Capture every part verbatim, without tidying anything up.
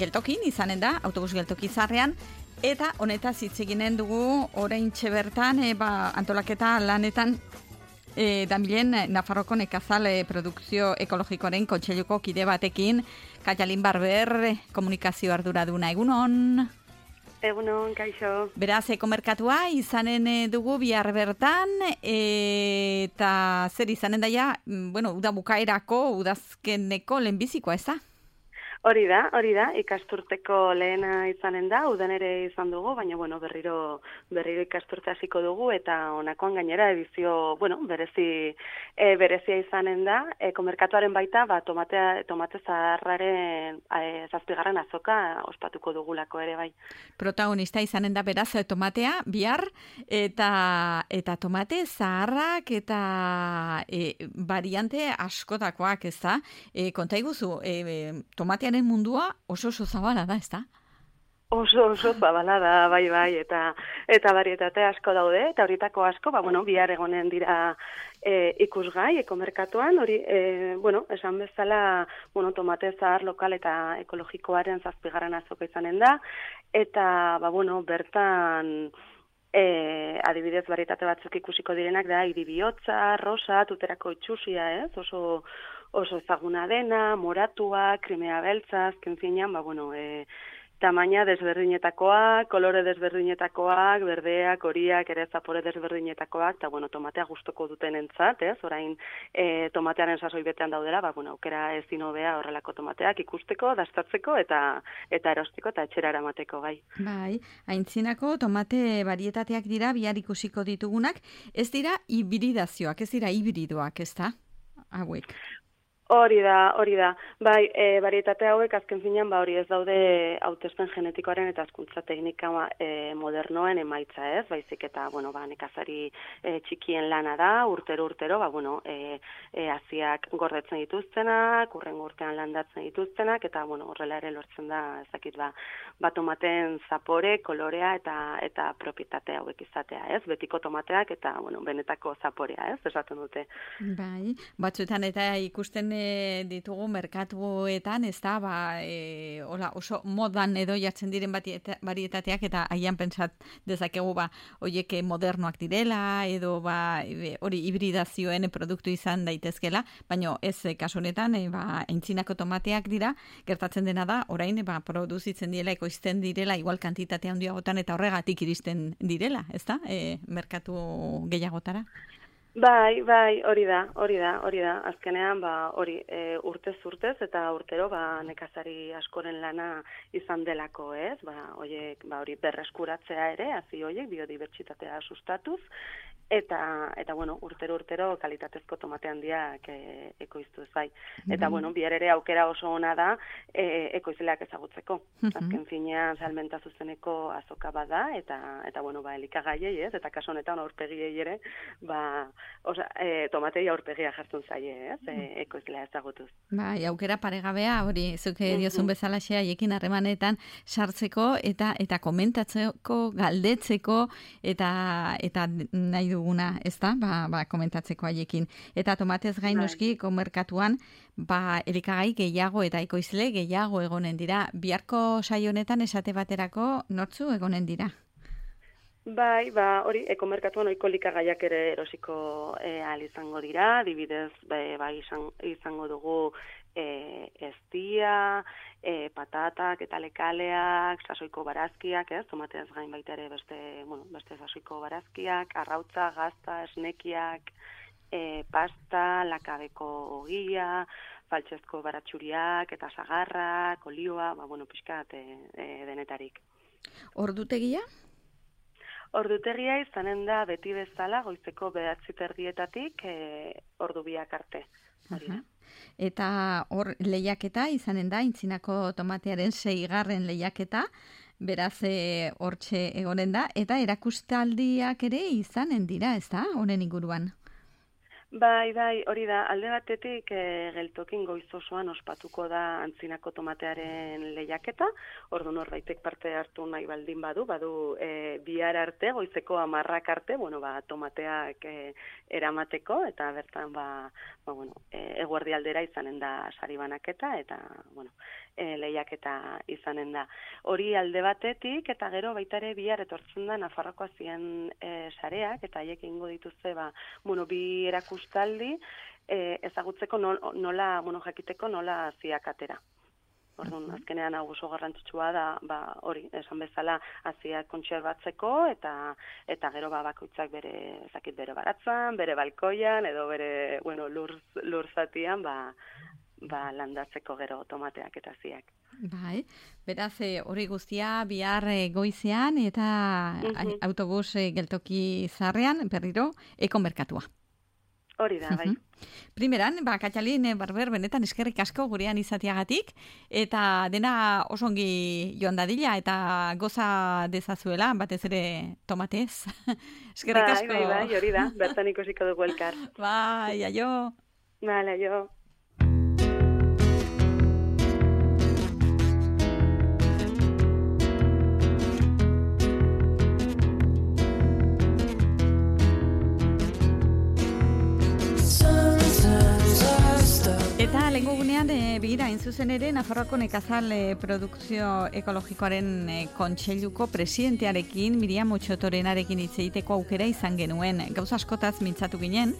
geltokin izanen da, autobus geltoki zarrean, eta honetaz hitz eginen dugu oraintxe bertan, e, ba, antolaketa lanetan e, damilen Nafarroko nekazal e, produkzio ekologikoaren kontseiluko kide batekin, Kaialin Barber, komunikazio arduraduna, egunon? Egunon, kaixo. Beraz, ekomerkatua izanen dugu bihar bertan, e, eta zer izanen daia, bueno, uda bukaerako, udazkeneko lehenbizikoa, ez da? Hori da, hori da, ikasturteko lehena izanen da, udan ere izan dugu, baina bueno, berriro berriro ikasturte hasiko dugu, eta honakoan gainera edizio, bueno, berezi e, berezia izanen da, e, komerkatuaren baita, ba, tomatea, tomate zaharraren e, zazpigarren azoka ospatuko dugulako ere bai. Protagonista izanen da beraz tomatea, bihar, eta eta tomate zaharrak eta e, variante askotakoak, ez da? E, konta iguzu, e, tomatea mundua oso oso zabala da, ez da? Oso oso zabala da, bai, bai, eta eta varietate asko daude, eta horietako asko, ba, bueno, bihar egonen dira e, ikusgai, ekomerkatuan, hori, e, bueno, esan bezala, bueno, tomate zahar lokal eta ekologikoaren zazpigarren azoka izanen da, eta, ba, bueno, bertan, E, adibidez varietate batzuk ikusiko direnak da, iribiotza, rosa, tuterako itxusia, ez? Oso, oso ezaguna dena, moratua, krimea beltza, azken finean, ba, bueno, e, tamaina desberdinetakoak, kolore desberdinetakoak, berdeak, horiak, ere zapore desberdinetakoak, eta, bueno, tomatea gustoko duten entzat, ez? Orain, e, tomatearen sasoi betean daudela, ba, bueno, aukera ezin hobea horrelako tomateak ikusteko, dastatzeko, eta eta erosteko, eta etxera eramateko, bai. Bai, aintzinako tomate varietateak dira, bihar ikusiko ditugunak, ez dira hibridazioak, ez dira hibridoak, ez da? Hauek. Hori da, hori da. Bai, e, varietate hauek azken finean, ba, hori ez daude hautespen genetikoaren eta hazkuntza teknika e, modernoen emaitza, ez? Baizik eta, bueno, ba, nekazari e, txikien lana da, urtero urtero, ba, bueno, e, e, haziak gordetzen dituztenak, urrengo urtean landatzen dituztenak, eta, bueno, horrela ere lortzen da, ezakit, ba, ba tomateen zapore, kolorea eta eta propietate hauek izatea, ez? Betiko tomateak eta, bueno, benetako zaporea, ez? Esaten dute. Bai, batzuetan eta ikusten ditugu merkatuetan, ez da, ba, e, hola, oso modan edo jartzen diren varietateak, eta haian pentsat dezakegu, ba, oiek modernoak direla, edo, ba, hori hibridazioen produktu izan daitezkela, baina ez kasu honetan, e, ba, aintzinako tomateak dira, gertatzen dena da, orain, ba, produzitzen direla, ekoizten direla, igual kantitate handiagotan, eta horregatik iristen direla, ez da, e, merkatu gehiagotara. Bai, bai, hori da, hori da, hori da. Azkenean, ba, hori, e, urtez urtez eta urtero, ba, nekazari askoren lana izan delako, ez? Ba, horiek, ba, hori berreskuratzea ere, hazi horiek, biodibertsitatea sustatuz, eta, eta bueno, urtero urtero kalitatezko tomate handiak e, ekoiztuz, bai. Eta, mm-hmm. bueno, bihar ere aukera oso ona da e, ekoizleak ezagutzeko. Mm-hmm. Azken finean, salmenta zuzeneko azoka bada, eta, eta bueno, ba, elikagaiei, ez? Eta kaso honetan aurpegiei ere, ba, osa, e, tomatei aurpegia jartzen zaie, ez? E, ekoizlea ezagutuz. Bai, aukera paregabea, hori, zuke diozun bezala xe, haiekin harremanetan sartzeko, eta eta komentatzeko, galdetzeko, eta eta nahi duguna, ez da, ba, ba, komentatzeko haiekin. Eta tomatez gain noski, komerkatuan, ba, elikagai gehiago eta ekoizle gehiago egonen dira. Biharko saio honetan esate baterako nortzu egonen dira? Bai, ba, hori, ekomerkatuan ohiko elikagaiak ere erosiko e, ahal izango dira, adibidez, bai, ba, izan, izango dugu e, eztia, e, patatak eta lekaleak, sasoiko barazkiak, ez, tomateaz gain baita ere beste, bueno, beste sasoiko barazkiak, arrautza, gazta, esnekiak, e, pasta, lakabeko ogia, faltsezko baratxuriak eta sagarrak, olioa, ba, bueno, pixkat e, e, denetarik. Ordutegia? Ordutegia izanen da beti bezala goizeko bederatzi terdietatik e, ordu biak arte. Uh-huh. Eta hor lehiaketa izanen da, aintzinako tomatearen seigarren lehiaketa, beraz hortxe e, egonen da, eta erakustaldiak ere izanen dira, ez da, honen inguruan? Bai, bai, hori da, alde batetik e, geltokin goiz osoan ospatuko da antzinako tomatearen lehiaketa, ordu norbaitek parte hartu nahi baldin badu, badu e, bihar arte, goizeko hamarrak arte, bueno, ba, tomateak e, eramateko, eta bertan, ba, ba bueno, e, eguerdi aldera izanen da sari banaketa, eta, bueno, e, lehiaketa izanen da. Hori alde batetik, eta gero baita ere bihar etortzen da Nafarroko azien e, sareak, eta haiek ingo dituzte, ba, bueno, bi erakustaldi, e, ezagutzeko nola, nola, bueno, jakiteko nola haziak atera. Orduan, azkenean hau oso garrantzitsua da, ba, hori, esan bezala haziak kontserbatzeko, eta eta gero ba, bakoitzak bere, ezakit, bere baratzan, bere balkoian, edo bere, bueno, lur, lur zatian, ba, ba, landatzeko gero tomateak eta haziak. Bai, beraz, hori guztia bihar goizean eta uh-huh. autobus geltoki zarrean, berriro, ekomerkatua. Hori da, bai. Primeran, ba, Katxalin Barber, benetan eskerrik asko gurean izatiagatik, eta dena oso ongi joan dadila, eta goza dezazuela, batez ere tomatez. Eskerrik asko. Bai, bai, bai, hori da, bertan ikusiko dugu elkar. Bai, aio. Vale, aio. Eta lehenko gunean, e, begira, zuzen ere, Nafarroako nekazal e, produkzio ekologikoaren e, kontseiluko presidentearekin, Miriam Otxotorenarekin hitz egiteko aukera izan genuen. Gauza askotaz mintzatu ginen,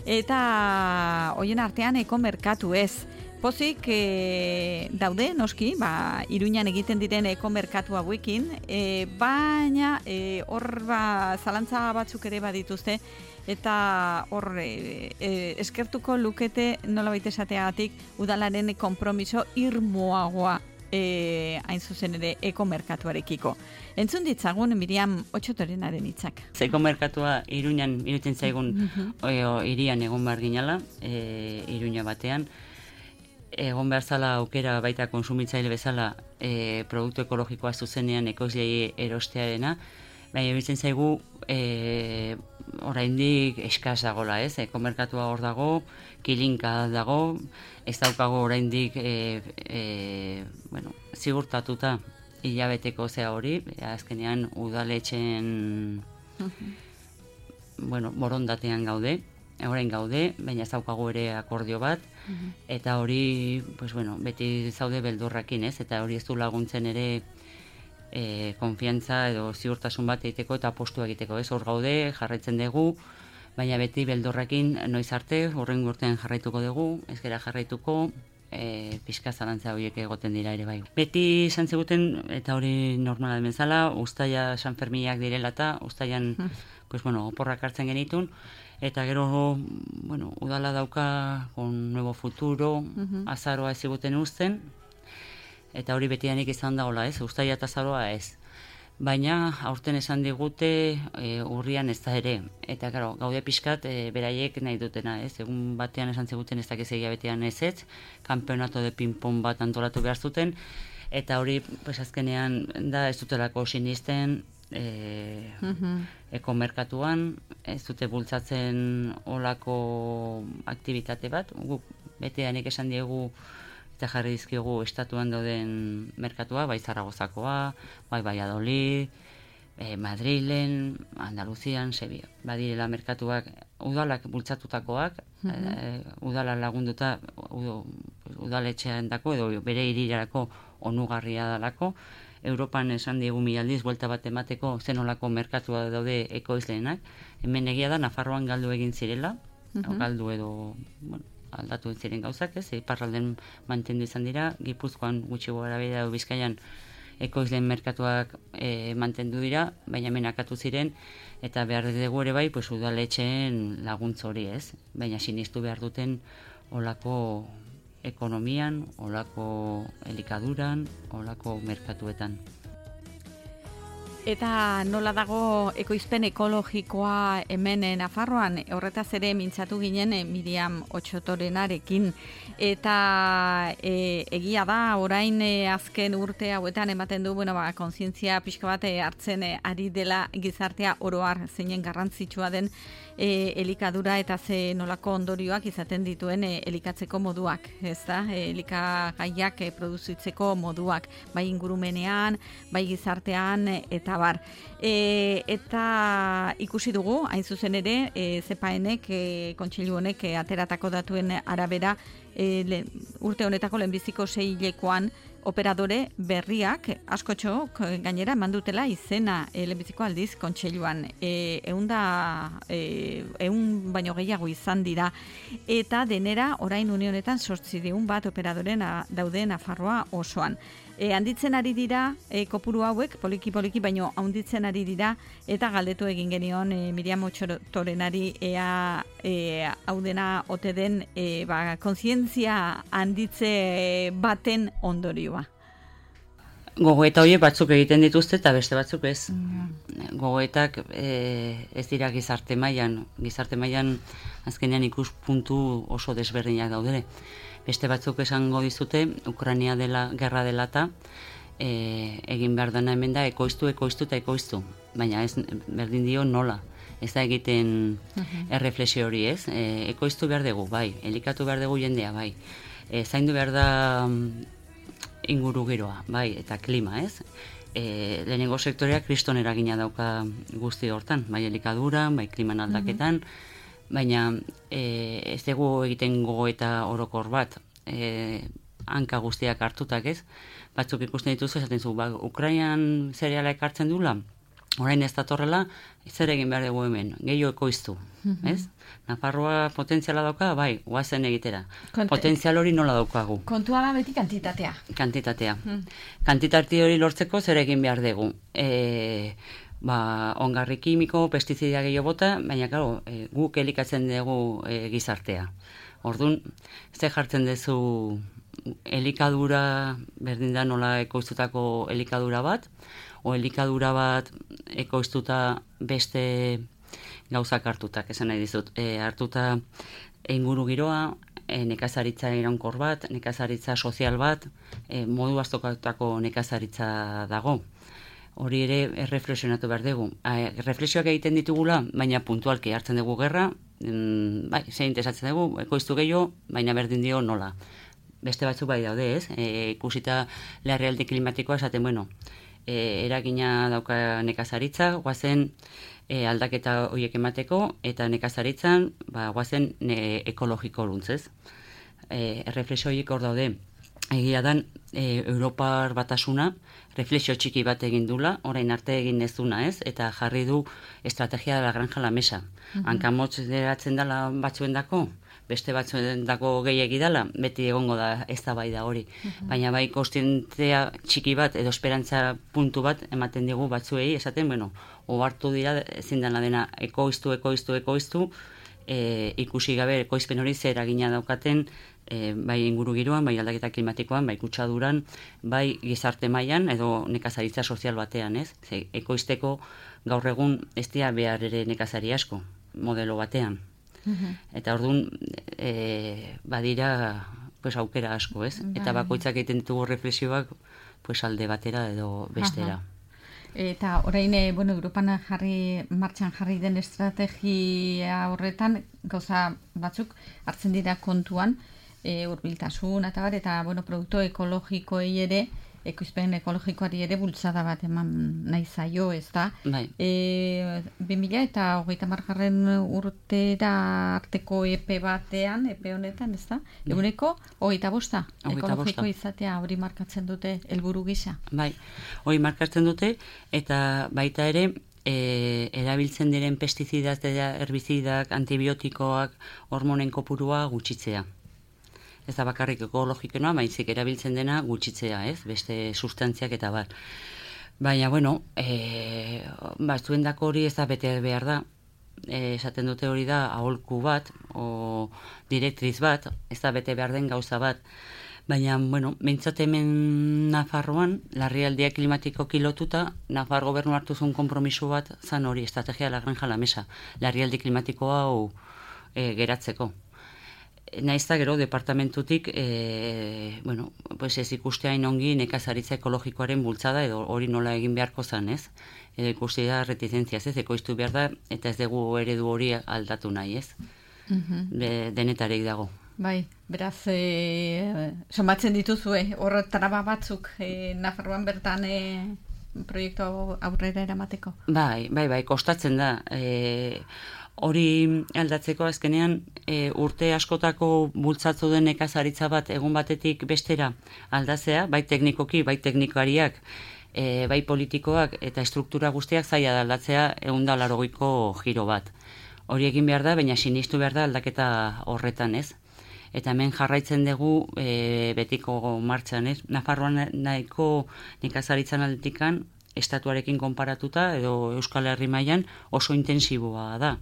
eta hoien artean ekomerkatu ez. Pozik e, daude, noski, ba, Iruñan egiten diren ekomerkatu hauekin, e, baina e, hor ba, zalantza batzuk ere badituzte, eta hor e, e, eskertuko lukete nola baita esateagatik udalaren konpromiso irmoagoa e, hain zuzen ere ekomerkatuarekiko. Entzun ditzagun Miriam Otxotorenaren hitzak. Ekomerkatua Iruñan irutzen zaigun uh-huh. irian egon behar ginala, e, Iruña batean, egon behar zala aukera baita konsumitzaile bezala e, produktu ekologikoa zuzenean ekoizlei erostearena, baina bitzen zaigu e, oraindik eskaz dagola, ez? Ekomerkatua hor dago, kilinka dago, ez daukago oraindik e, e, bueno, zigurtatuta hilabeteko zea hori, azkenean udaletxen uh-huh. bueno, borondatean gaude, orain gaude, baina ez daukago ere akordio bat, uh-huh. eta hori, pues bueno, beti zaude beldurrakin, ez? Eta hori ez du laguntzen ere e, konfiantza edo ziurtasun bat egiteko eta apostu egiteko, ez? Hor gaude, jarraitzen dugu, baina beti beldurrakin noiz arte, hurrengo urtean jarraituko dugu, ez gera jarraituko, e, pixka zalantza horiek egoten dira ere bai. Beti esan ziguten, eta hori normala den bezala, uztaila San Ferminak direla eta uztailan, pues bueno, oporrak hartzen genitun, eta gero, bueno, udala dauka con nuevo futuro, uh-huh. azaroa ez ziguten uzten, eta hori betianik izan dagoela, ez? Uztaila eta azaroa ez. Baina aurten esan digute e, urrian ez da ere. Eta claro, gaude pixkat e, beraiek nahi dutena, ez? Egun batean esan ziguten ez dakiz egia betean ez ez, kanpeonato de ping-pong bat antolatu behar zuten, eta hori pues, azkenean da ez dutelako sinisten e, uh-huh. ekomerkatuan, ez dute bultzatzen olako aktivitate bat, guk beteanik esan diegu eta jarri dizkigu estatuan dauden merkatua, bai Zaragozakoa, bai Valladolid, eh, Madrilen, Andaluzian, Sevilla. Badirela merkatuak udalak bultzatutakoak, mm-hmm. eh, udala lagunduta ud, udaletxean dako edo bere hirirako onugarria dalako. Europan esan diegu mila aldiz buelta bat emateko zenolako merkatua daude ekoizleenak. Hemen egia da Nafarroan galdu egin zirela, mm-hmm. galdu edo, bueno, aldatu ziren gauzak, ez, iparralden mantendu izan dira, Gipuzkoan gutxi gara bera edo Bizkaian ekoizleen merkatuak e, mantendu dira, baina menakatu ziren, eta behar dugu ere bai, pues, udaletxeen laguntza hori, ez, baina sinistu behar duten olako ekonomian, olako elikaduran, olako merkatuetan. Eta nola dago ekoizpen ekologikoa hemen Nafarroan, horretaz ere mintzatu ginen Miriam Otsotorenarekin. Eta e, egia da, orain e, azken urte hauetan ematen du, bueno, ba, kontzientzia pixka bat hartzen e, ari dela gizartea oroar zeinen garrantzitsua den e, elikadura eta ze nolako ondorioak izaten dituen e, elikatzeko moduak, ez da? E, elikagaiak e, produzitzeko moduak, bai ingurumenean, bai gizartean, e, eta bar. E, eta ikusi dugu, hain zuzen ere, e, zepaenek, e, kontseilu honek e, ateratako datuen arabera, e, le, urte honetako lehenbiziko seihilekoan operadore berriak askotxo gainera mandutela izena e, lehenbiziko aldiz kontseiluan. E, eun da, e, eun baino gehiago izan dira. Eta denera orain unionetan sortzideun bat operadoren a, daude Nafarroa osoan. E, handitzen ari dira, e, kopuru hauek, poliki-poliki, baino handitzen ari dira, eta galdetu egin genion e, Miriam Otsotorenari ea e, hau dena ote den e, ba, kontzientzia handitze baten ondorioa. Gogoeta horiek batzuk egiten dituzte eta beste batzuk ez. Mm. Gogoetak e, ez dira gizarte mailan, gizarte mailan azkenean ikuspuntu oso desberdinak daudere. Beste batzuk esango dizute, Ukraina dela, gerra dela eta e, egin behar dena hemen da, ekoiztu, ekoiztu eta ekoiztu. Baina ez berdin dio nola. Ez da egiten uh-huh. erreflexio hori ez. E, ekoiztu behar dugu, bai. Elikatu behar dugu jendea, bai. E, zaindu behar da inguru giroa, bai, eta klima, ez? E, lehenengo sektorea kriston eragina dauka guzti hortan, bai elikadura, bai kliman aldaketan, uh-huh. Baina e, ez dugu egiten gogoeta orokor bat, e, hanka guztiak hartutak ez, batzuk ikusten dituzu esaten zu, ba, Ukrainan zereala ekartzen dula, orain ez datorrela, zer egin behar dugu hemen, gehiago ekoiztu, mm-hmm. ez? Nafarroa potentziala dauka, bai, guazen egitera. Konte, Potentzial hori nola daukagu? Kontua da beti kantitatea. Kantitatea. Mm. Kantitate hori lortzeko zer egin behar dugu. E, ba, ongarri kimiko, pestizida gehiago bota, baina claro, e, guk elikatzen dugu e, gizartea. Orduan, ze jartzen duzu elikadura, berdin da nola ekoiztutako elikadura bat, o elikadura bat ekoiztuta beste gauzak hartutak, esan nahi dizut. E, hartuta inguru giroa, e, nekazaritza iraunkor bat, nekazaritza sozial bat, e, modu aztokatutako nekazaritza dago. Hori ere erreflexionatu behar dugu. Reflexioak egiten ditugula, baina puntualki hartzen dugu gerra, bai, zein interesatzen dugu, ekoiztu gehiago, baina berdin dio nola. Beste batzuk bai daude, ez? E, ikusita larrialdi klimatikoa esaten, bueno, e, eragina dauka nekazaritza, guazen e, aldaketa horiek emateko, eta nekazaritzan, ba, guazen ne, ekologiko luntzez. E, Erreflexio horiek hor daude. Egia dan, e, Europar batasuna, reflexio txiki bat egin dula, orain arte egin ez duna, ez? Eta jarri du estrategia de la granja la mesa. Uh-huh. Hankamotz deratzen dela batzuen dako, beste batzuen dako gehiagi dela, beti egongo da ez da bai da hori. Uh-huh. Baina bai kostientzia txiki bat edo esperantza puntu bat ematen digu batzuei, esaten, bueno, ohartu dira ezin dena dena ekoiztu, ekoiztu, ekoiztu, e, ikusi gabe ekoizpen hori zer eragina daukaten, E, bai inguru giroan, bai aldaketa klimatikoan, bai kutsaduran, bai gizarte mailan edo nekazaritza sozial batean, ez? Ze, ekoizteko gaur egun ez dira behar ere nekazari asko, modelo batean. Uh-huh. Eta orduan, e, badira pues, aukera asko, ez? Bai. Eta bakoitzak egiten ditugu reflexioak pues, alde batera edo bestera. Uh-huh. Eta orain, e, bueno, Europan jarri, martxan jarri den estrategia horretan, gauza batzuk hartzen dira kontuan, E, urbiltasun eta bar, eta bueno, produktu ekologikoei ere, ekoizpen ekologikoari ere bultzada bat eman nahi zaio, ez da? Bai. E, bi mila eta hogeita margarren urtera arteko epe batean, epe honetan, ez da? Bai. Eguneko hogeita bosta, ekologiko izatea hori markatzen dute helburu gisa. Bai, hori markatzen dute, eta baita ere, E, erabiltzen diren pestizidak, herbizidak, antibiotikoak, hormonen kopurua gutxitzea. Ez da bakarrik ekologikoa, baizik erabiltzen dena gutxitzea, ez? Beste sustantziak eta bat. Baina, bueno, e, batzuendako hori ez da bete behar da. E, esaten dute hori da aholku bat, o direktriz bat, ez da bete behar den gauza bat. Baina, bueno, behintzat hemen Nafarroan, larrialdia klimatikoki lotuta, Nafar gobernu hartu zuen konpromiso bat, zan hori, estrategia de la granja a la mesa, larrialdi klimatikoa hau e, geratzeko. Naizta gero, departamentutik, e, bueno, pues ez ikusteain ongi nekazaritza ekologikoaren bultzada, edo hori nola egin beharko zan, ez? Edo ikusti da retizentziaz, ez? Ekoiztu behar da, eta ez dugu eredu hori aldatu nahi, ez? De, denetarek dago. Bai, beraz, e, somatzen dituzue, horre traba batzuk e, Nafarroan bertan e, proiektu aurrera eramateko? Bai, bai, bai, kostatzen da. E, hori aldatzeko azkenean e, urte askotako bultzatu den nekazaritza bat egun batetik bestera aldatzea, bai teknikoki, bai teknikariak, e, bai politikoak eta estruktura guztiak zaila da aldatzea egun da larogeiko giro bat. Hori egin behar da, baina sinistu behar da aldaketa horretan, ez? Eta hemen jarraitzen dugu e, betiko martxan, ez? Nafarroan nahiko nekazaritzan aldetikan, estatuarekin konparatuta, edo Euskal Herri mailan oso intensiboa da.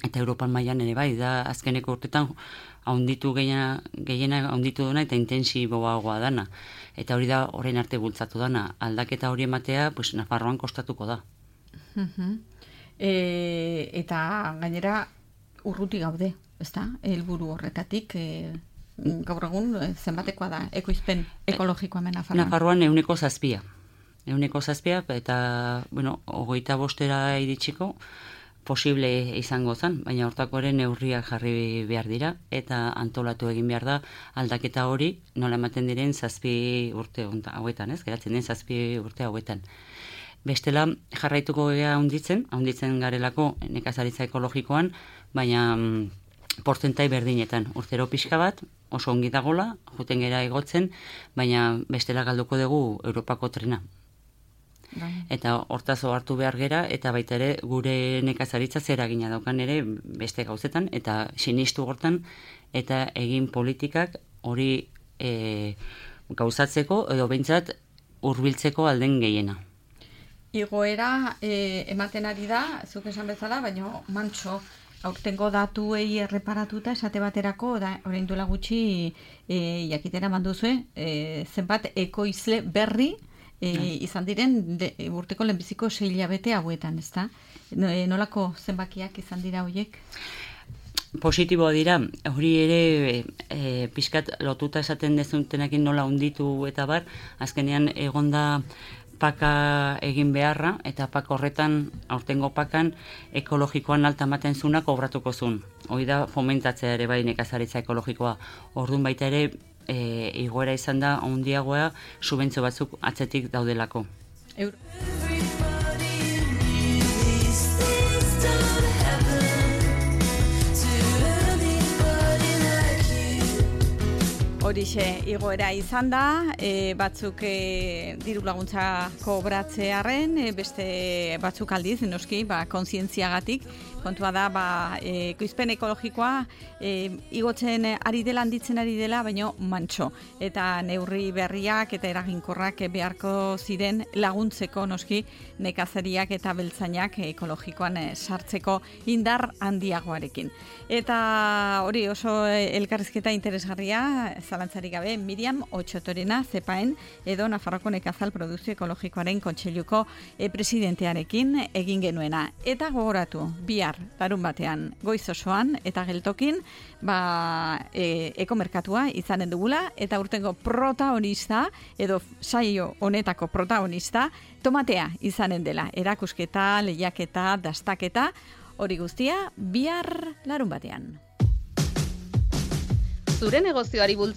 Eta Europan mailan ere bai, da azkeneko urtetan haunditu gehiena, gehiena haunditu duna eta intensiboagoa dana. Eta hori da orain arte bultzatu dana. Aldaketa hori ematea, pues, Nafarroan kostatuko da. Uh-huh. E, eta gainera urruti gaude, ezta? Helburu horretatik e, gaur egun zenbatekoa da ekoizpen ekologikoa hemen Nafarroan. Nafarroan ehuneko zazpia. Ehuneko zazpia eta bueno, hogeita bostera iritsiko posible izango zen, baina hortako ere neurriak jarri behar dira eta antolatu egin behar da aldaketa hori nola ematen diren zazpi urte hauetan, ez? Geratzen den zazpi urte hauetan. Bestela jarraituko gea handitzen, handitzen garelako nekazaritza ekologikoan, baina mm, portentai berdinetan. Urtero pixka bat, oso ongi dagola, juten gera igotzen, baina bestela galduko dugu Europako trena. Bai. Eta hortaz hartu behar gera, eta baita ere gure nekazaritza zeragina daukan ere beste gauzetan, eta sinistu hortan, eta egin politikak hori e, gauzatzeko, edo behintzat hurbiltzeko alden gehiena. Igoera e, ematen ari da, zuk esan bezala, baina mantxo, aurtengo datuei erreparatuta esate baterako, da, orain duela gutxi e, jakitera manduzue, e, zenbat ekoizle berri e, izan diren de, urteko lehenbiziko sei hilabete hauetan, ezta? Nolako zenbakiak izan dira hoiek? Positiboa dira, hori ere e, pixkat lotuta esaten dezutenekin nola hunditu eta bar, azkenean egonda paka egin beharra, eta paka horretan, aurtengo pakan, ekologikoan alta ematen zuna kobratuko zuen. Hoi da fomentatzea ere bai nekazaritza ekologikoa. Orduan baita ere, e, igoera izan da, handiagoa, subentzio batzuk atzetik daudelako. Euro. Horixe igoera izan da, e, batzuk e, diru laguntza kobratzearen, e, beste batzuk aldiz, noski, ba, kontzientziagatik, kontua da, ba, e, ekoizpen ekologikoa e, igotzen ari dela, handitzen ari dela, baino mantxo. Eta neurri berriak eta eraginkorrak beharko ziren laguntzeko, noski, nekazariak eta beltzainak ekologikoan e, sartzeko indar handiagoarekin. Eta hori oso elkarrizketa interesgarria, zalantzarik gabe, Miriam Otxotorena, zepaen, edo Nafarroko Nekazal Produzio Ekologikoaren Kontseiluko e, presidentearekin egin genuena. Eta gogoratu, bihar, larun batean, goiz osoan, eta geltokin, ba, e, ekomerkatua izanen dugula, eta urtengo protagonista, edo saio honetako protagonista, tomatea izanen dela. Erakusketa, lehiaketa, dastaketa, hori guztia, bihar larun batean. Zure negozioari bultza